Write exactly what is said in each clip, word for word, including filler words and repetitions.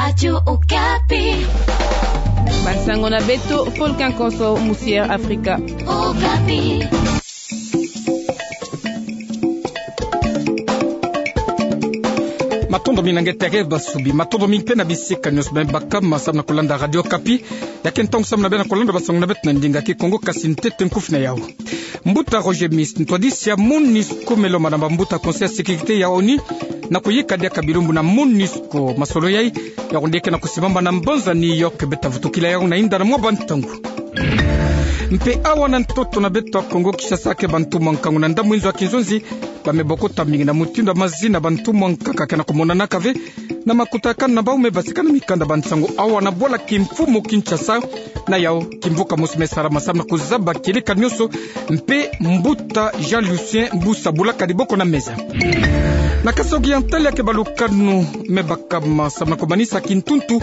Radio Okapi. Bansango na beto, Volcan Konso, Musière Afrika. Okapi. Matondo mingi na nge tere basubi, matondo mingi mpe na bisika nyonso beno baka ma samu na kolanda Radio Okapi. Ya ke ntangu samu na beno na kolanda bansango na beto na ndinga Kikongo, kasi ntete nkufi na yau. Mbuta Roger Miss, ntwadisi ya MONUSCO, me lomba na bambuta Conseil ya Sécurité ya ONU, na kuyika diaka bilumbu na MONUSCO. Masolo yai, ya kundeke na kusimbama na mbanza New York, beta vutukila yau na inda na mwa bantangu. Mpe awa na ntoto na beto ya Kongo Kinshasa, ke bantu mwa nkangu na ndambu inzo ya kinzonzi, ba me bokota mingi na mutindu ya mazi na bantu mwa nkaka ke na kumonanaka ve, na makutakanu na bau me basika na mikanda bansango awa na bwala kimfumu Kinshasa. Na yau, kimvuka mosi me salama samu na kuzaba kieleka nyonso, mpe mbuta Jean Lucien Busa bulaka diboko na meza. Na Kasaï Oriental, ya ke balukanu me bakama samu na kumanisa kintuntu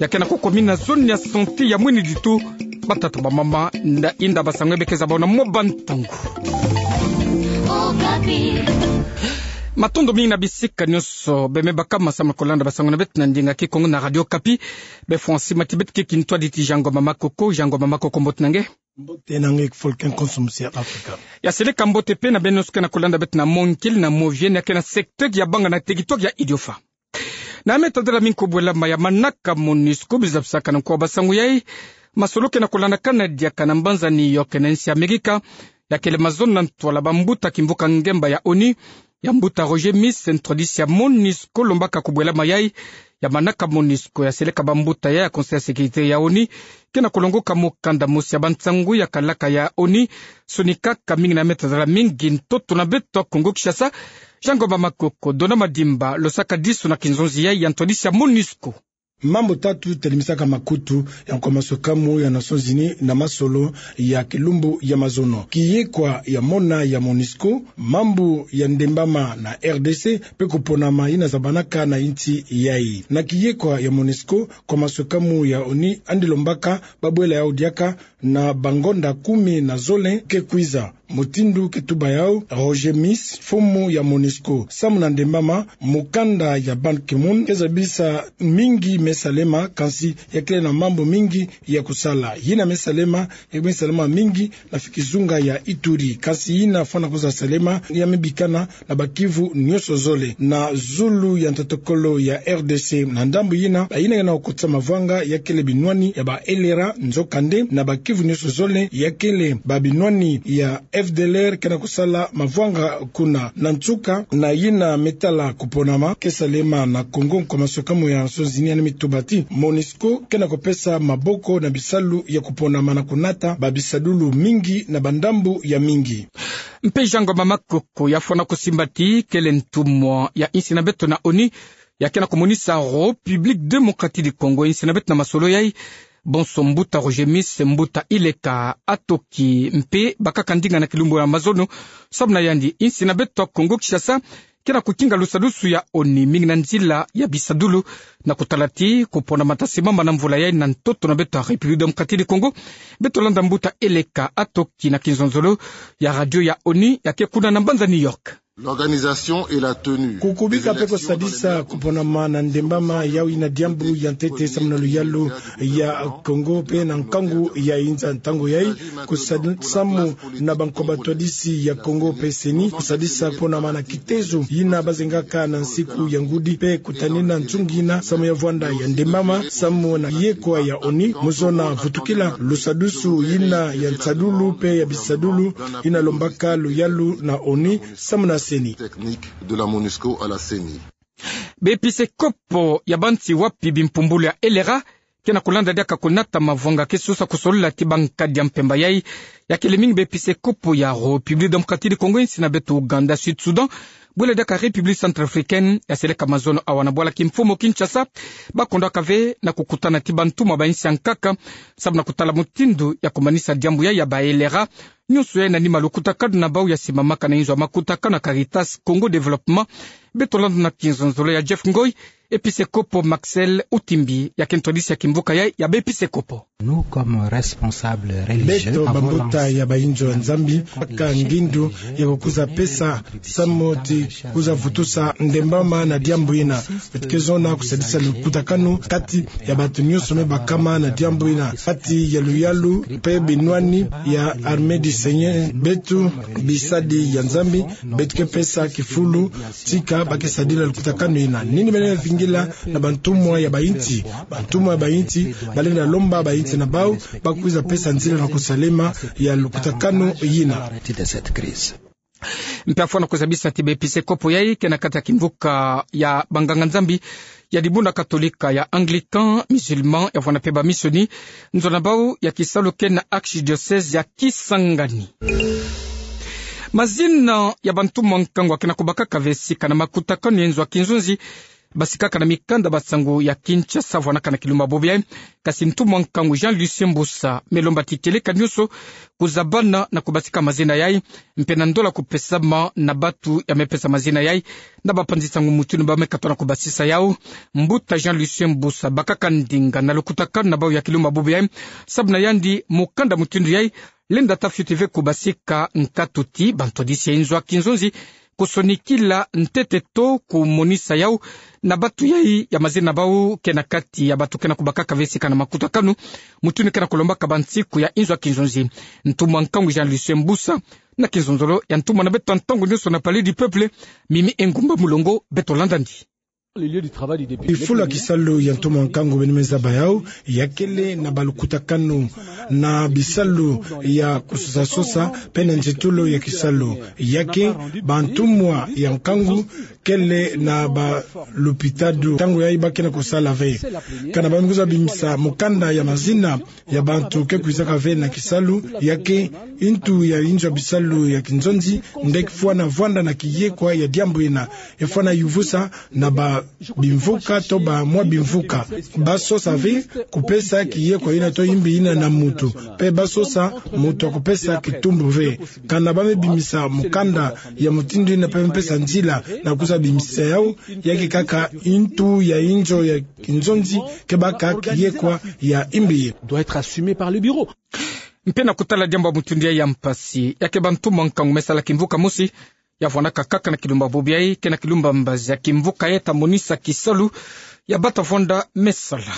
ya ke na kukumina zone ya santé ya Mweni Ditu. Batata, bamama, na inda bansango ya be ke zaba na mwa bantangu. Okapi. Matondo mingi na bisika nyonso beno me bakama samu na kolanda bansango na beto na ndinga Kikongo na Radio Okapi. Be Francis Matibet ke kintwadi ti Jean Ngoma Makoko. Jean Ngoma Makoko, mbote na nge? Mbote na nge Volcan Konso, Musière Afrika. Ya seleka mbote mpe na beno nyonso ke na kolanda beto na mwa nkele na mwa vieux, ya ke na secteur ya Bangana, territoire ya Idiofa. Na me tadela mingi kubwelama ya manaka MONUSCO, biza bisaka na nko ya bansango yai, masolo ke na kulandakana diaka na mbanza New York na nsi Amerika, ya kele mazono na ntwala bambuta kimvuka ngemba ya ONU, ya mbuta Roger Miss, ntwadisi ya MONUSCO, lombaka kubwelama yai ya manaka MONUSCO. Ya seleka bambuta yai ya Conseil ya Sécurité ya ONU, ke na kulongoka mukanda mosi ya bansango ya kalaka ya ONU, sonikaka mingi na me tadela mingi ntoto na beto ya Kongo Kinshasa. Jean Ngoma Makoko, Dona Madimba, losaka disu na kinzonzi yai ya ntwadisi ya MONUSCO. Mambu tatu telemisaka makutu ya nko ya maswekamu ya Nations Unies na masolo ya kilumbu ya mazono: kiyekwa ya mona ya MONUSCO, mambu ya ndembama na R D C, mpe kuponama yina zabanaka na insi yai. Na kiyekwa ya MONUSCO, nko ya maswekamu ya ONU andi lombaka babwela yau diaka na bangonda kumi na zole ke kwiza. Mutindu ke tuba yau Roger Miss, mfumu ya MONUSCO: samu na ndembama, mukanda ya Ban Ki-moon ke zabisa mingi me salema, kansi ya kele na mambu mingi ya kusala. Yina me salema, ya me salema mingi na fikizunga ya Ituri, kansi yina fwana kwiza salema ya me bikana na ba Kivu nyonso zole. Na zulu ya ntatokolo ya R D C, na ndambu yina, bayina ke na kukotisa mavwanga ya kele binwani ya ba L R A, nzokande na ba Kivu nyonso zole, ya kele ba binwani ya F D L R ke na kusala mavwanga kuna. Na nsuka, na yina me tala kuponama ke salema na Congo, nko ya maswekamu ya Nations Unies yandi me tuba ti MONUSCO ke na kupesa maboko na bisalu ya kuponama na kunata ba bisadulu mingi na bandambu ya mingi. Mpe Jean Ngoma Makoko, ya fwana kusimba ti kele ntumwa ya insi na beto na ONU, ya ke na kumonisa République Démocratique du Congo insi na beto na masolo yai. Bonso mbuta Roger Miss, mbuta Ileka Atoki mpe bakaka ndinga na kilumbu ya mazono. Samu na yandi, insi na beto ya Congo Kinshasa ke na kukinga lusadusu ya ONU mingi na nzila ya bisadulu, na kutala ti kuponama ta simama na mvula yai na ntoto na beto ya République Démocratique du Congo. Beto landa mbuta Ileka Atoki na kinzonzolo ya radio ya ONU, ya ke kuna na mbanza New York. L'organisation et la tenue des élections dans les meilleures conditions. Kukubika mpe kusadisa kuponama na ndembama, yau yina diambu ya ntete samu na luyalu ya Congo mpe na nkangu ya inza. Ntangu yai, kusa-, samu na banko batwadisi ya Congo mpe CENI, kusadisa kuponama na kitezo yina bazengaka na nsiku ya ngudi, mpe kutanina nsungi yina samu ya vwanda ya ndembama, samu na yekwa ya ONU, mu zona vutukila lusadusu yina ya nsadulu mpe ya bisadulu yina lombaka luyalu na ONU samu na CENI. Technique de la MONUSCO à la CENI. Baepiskopo ya bansi wapi bimpumbulu ya L R A ke na kulanda diaka kunata mavwanga ke sosa kusolola ti bankadi ya mpemba yai, ya kele mingi baepiskopo ya République Démocratique du Congo, insi na beto Ouganda, Sud-Soudan, bwela diaka République Centrafricaine. Ya seleka mazono awa na bwala kimfumu Kinshasa, bakondwaka ve na kukutana ti bantumwa ba insi ya nkaka, samu na kutala mutindu ya kumanisa diambu yai ya ba L R A. Nyonso yai na nima lukutakanu na bau ya simamaka na inzo ya makutakanu ya Caritas Congo Développement. Beto landa na kinzonzolo ya Jeff Ngoi, Episekopo Maxel Utimbi, ya ke ntwadisi ya kimvuka yai ya baepisekopo. Beto bambuta ya bainzo ya Nzambi, twabaka ngindu ya kukuza pesa, samu ti kukuza vutusa ndembama na diambu ina. Beto ke zona kusadisa lukutakanu kati ya bantu nyonso me bakama na diambu ina, kati ya luyalu pe binwani ya Armée du Seigneur, beto bisadi ya Nzambi, beto ke pesa kifulu, tika ba ke sadila lukutakanu ina. Nini beno vingila na bantumwa ya bainsi? Bantumwa ya bainsi balenda lomba bainsi na bau ba kwiza pesa nzila na kusalama ya lukutakanu ina. Mpe afwana kuzabisa ti baepisekopo yai ke na kati ya kimvuka ya banganga-Nzambi ya dibuna Katolika, ya Anglican, Musulman, ya vwanda pe bamissioni, nzo na bau ya kisalu ke na archidiocèse ya Kisangani. Mazina ya bantumwa nkangu akena kubakaka ve sika na makutakanu ya inzo ya kinzonzi basikaka na mikanda basango ya Kinshasa vwanaka na kilumbu bobo yai. Kasi ntumwa nkangu Jean Lucien Mbusa me lomba ti kieleka nyonso kuzabana na kubasika mazina yai, mpe na ndola kupesama na bantu ya me pesa mazina yai na bapanzi-nsangu mutindu ba me katoa na kubasisa yau. Mbuta Jean Lucien Mbusa bakaka ndinga na lukutakanu na bau ya kilumbu bobo yai, sababu na yandi mukanda mutindu yai lenda ta fioti ve kubasika nkatu ti bantwadisi ya inzo ya kinzonzi kusonikila ntete to kumonisa yau na bantu yai ya mazina na bau ke na kati ya bantu ke na kubakaka ve sika na makutakanu, mutindu ke na kulombaka bansiku ya inzo ya kinzonzi. Ntumwa nkangu Jean Lucien Mbusa na kinzonzolo ya ntumwa na beto ya ntangu nyonso na Palais du Peuple, Mimi Engumba Mulongo, beto landa ndi. Fulu ya kisalu ya ntumwa nkangu beno me zaba yau, ya kele na balukutakanu na bisalu ya kusosa-sosa pe na nzitulu ya kisalu. Ya ke bantumwa ya nkangu kele na balupitadu, ntangu yai ba ke na kusala ve. Kana ba me kwiza bimisa mukanda ya mazina ya bantu ke kwizaka ve na kisalu, ya ke ntu ya inzo ya bisalu ya kinzonzi nde kifwana vwanda na kiyekwa ya diambu ina. Efwana yuvusa na ba bimvuka to ba mwa bimvuka. Ba sosa ve kupesa kiyekwa ina to imbi ina na muntu. Pe ba sosa muntu ya kupesa kitumbu ve. Kana ba me bimisa mukanda ya mutindu ina pe ba me pesa nzila na kwiza bimisa yau, ya ke kaka ntu ya inzo ya kinzonzi ke baka kiyekwa ya imbi. Doit être assumé par le bureau. Mpe na kutala diambu ya mutindu yai ya mpasi, ya ke bantumwa nkangu me sala kimvuka mosi, ya vwanaka kaka na kilumbu bobo yai, ke na kilumbu mbazi ya kimvuka yai ta monisa kisalu ya ba ta vwanda me sala.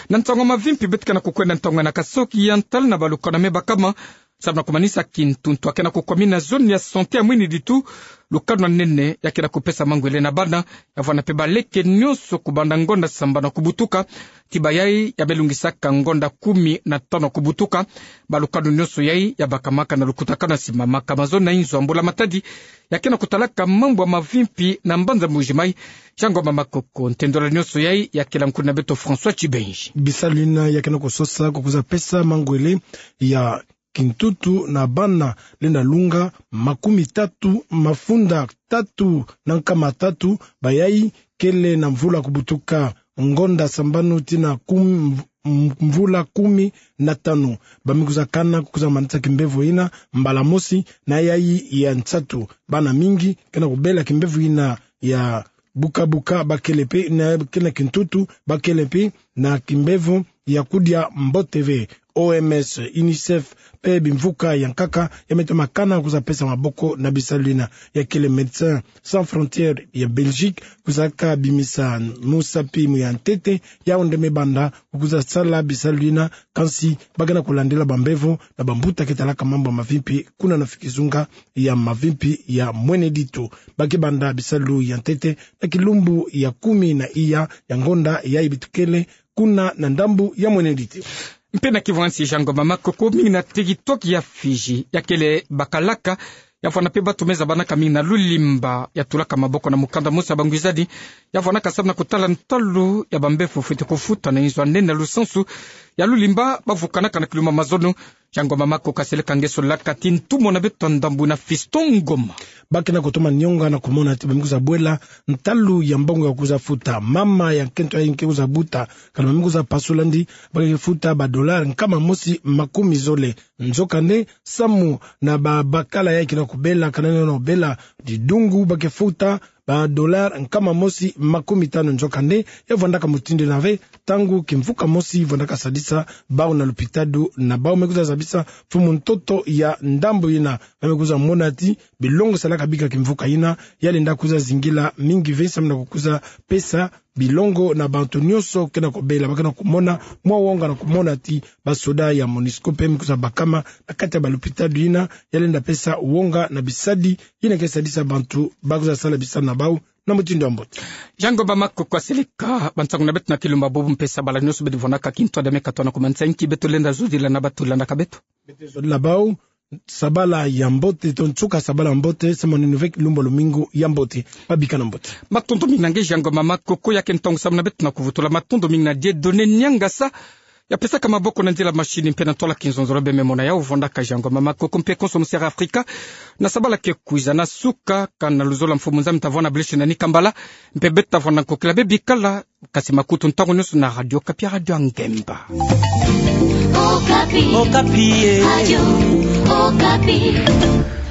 Na ntangu ya mavimpi beto ke na kukwenda ntangu na kasoki ya ntala na balukanu me bakama, sababu na kumanisa kintuntu ya ke na kukwamina zone ya santé ya Mwene Ditu, lukanu ya nene ya ke na kupesa mangwele na bana, ya vwanda pe baleke nyonso kubanda ngonda sambanu kubutuka ti bayai ya me lungisaka ngonda kumi na tanu kubutuka. Balukanu nyonso yai ya bakamaka na lukutakanu ya simamaka mazono na inzo ya Mbula Matadi, ya ke na kutalaka mambu ya mavimpi na mbanza Mbuji-Mayi. Jean Ngoma Makoko, ntendola nyonso yai ya kela nkuna na beto François Tshibenji. Bisalu ina ya ke na kusosa kukwiza pesa mangwele ya kintuntu na bana lenda lunga makumi tatu, mafunda tatu na nkama tatu, bayai kele na mvula kubutuka ngonda sambanu tii na kum-, m-, mvula kumi na tanu. Ba me kwiza kana kukwiza manisa kimbevo ina mbala mosi na yai ya nsatu. Bana mingi ke na kubela kimbevo ina ya buka-buka, ba kele pe na, ke na kintuntu, ba kele pe na kimbevo ya kudia mbote ve. O M S, UNICEF, pe bimvuka ya nkaka ya me toma kana kwiza pesa maboko na bisalu ina. Ya kele Médecins Sans Frontières ya Belgique, kwizaka bimisa musapi mu ya ntete, yau nde me banda kwiza sala bisalu ina, kansi ba ke na kulandila bambevo na bambuta ke talaka mambu ya mavimpi kuna na fikizunga ya mavimpi ya Mwene Ditu. Ba ke banda bisalu ya ntete na kilumbu ya kumi na iya ya ngonda yai beto kele kuna na ndambu ya Mwene Ditu. Mpe na kivwansi Jean Ngoma Makoko, mingi na territoire ya Fidji ya kele bakalaka, ya vwanda pe bantu me zabanaka mingi na Lulimba, ya tulaka maboko na mukanda mosi ya bangwizadi, ya vwanaka sababu na kutala ntalu ya bambevo fwete kufuta na inzo ya nene na lusansu ya Lulimba ba vukanaka na kilumbu ya mazono. Jean Ngoma Makoko kaseleka ngeso laka ti ntumwa na beto ya ndambu na Fiston Ngoma. Ba ke na kutoma nionga na kumona ti ba me kwiza bwela ntalu ya mbongo ya kwiza futa. Mama ya nkento yai nge kwiza buta, kana ba me kwiza pasula ndi, ba ke futa ba dollars nkama mosi makumi zole. Nzokande, samu na babakala yai ke na kubela, kana na kubela didungu, ba ke futa ba dollar nkama mosi makumi tanu nzokande. Ya vwandaka mutindu ina ve, ntangu kimvuka mosi vwandaka sadisa bau na lupitadu na bau me kwiza zabisa mfumu ntoto ya ndambu ina, ba me kwiza mona ti bilongo salaka bika kimvuka ina ya lenda kwiza zingila mingi ve, samu na kukwiza pesa bilongo na bantu nyonso ke na kobela, ba ke na komona mwa wonga na komona ti basoda ya MONUSCO mpe me kwiza bakama na kati ya balupitadu ina ya lenda pesa wonga na bisadi ina ke sadisa bantu ba kwiza sala bisalu na bau na mutindu ya mbote. Jean Ngomba Makoko, asilika bansangu na beto na kilumbu bubu mpe sabala nyonso beto vwandaka kintwadi me katwana ku mansa, nki beto lenda zodila na bato landaka beto? Beto zodila bau sabala ya mbote, to nsuka sabala ya mbote, samu na nini ve kilumbu lumingu ya mbote. Babika na mbote. Matondo mingi na nge Jean Ngomba Makoko, ya ke ntangu samu na beto na kuvutula. Matondo mingi na Dieudonné Niangasa, ya pesaka maboko na nzila mashini mpe na ntwala kinzonzolo. Bememona ya ovwandaka Jean Ngomba Makoko mpe konso mosiri Afrika na sabala ke kwiza. Na suka, kana luzolo mfumu Nzambi ta vwanda blessing na ni kambala, mpe beto ta vwanda nkokila be bikala kasi makutu ntangu nyonso na Radio Okapi, Radio ya ngemba. Okapi. Okapi, eh. Radio Okapi.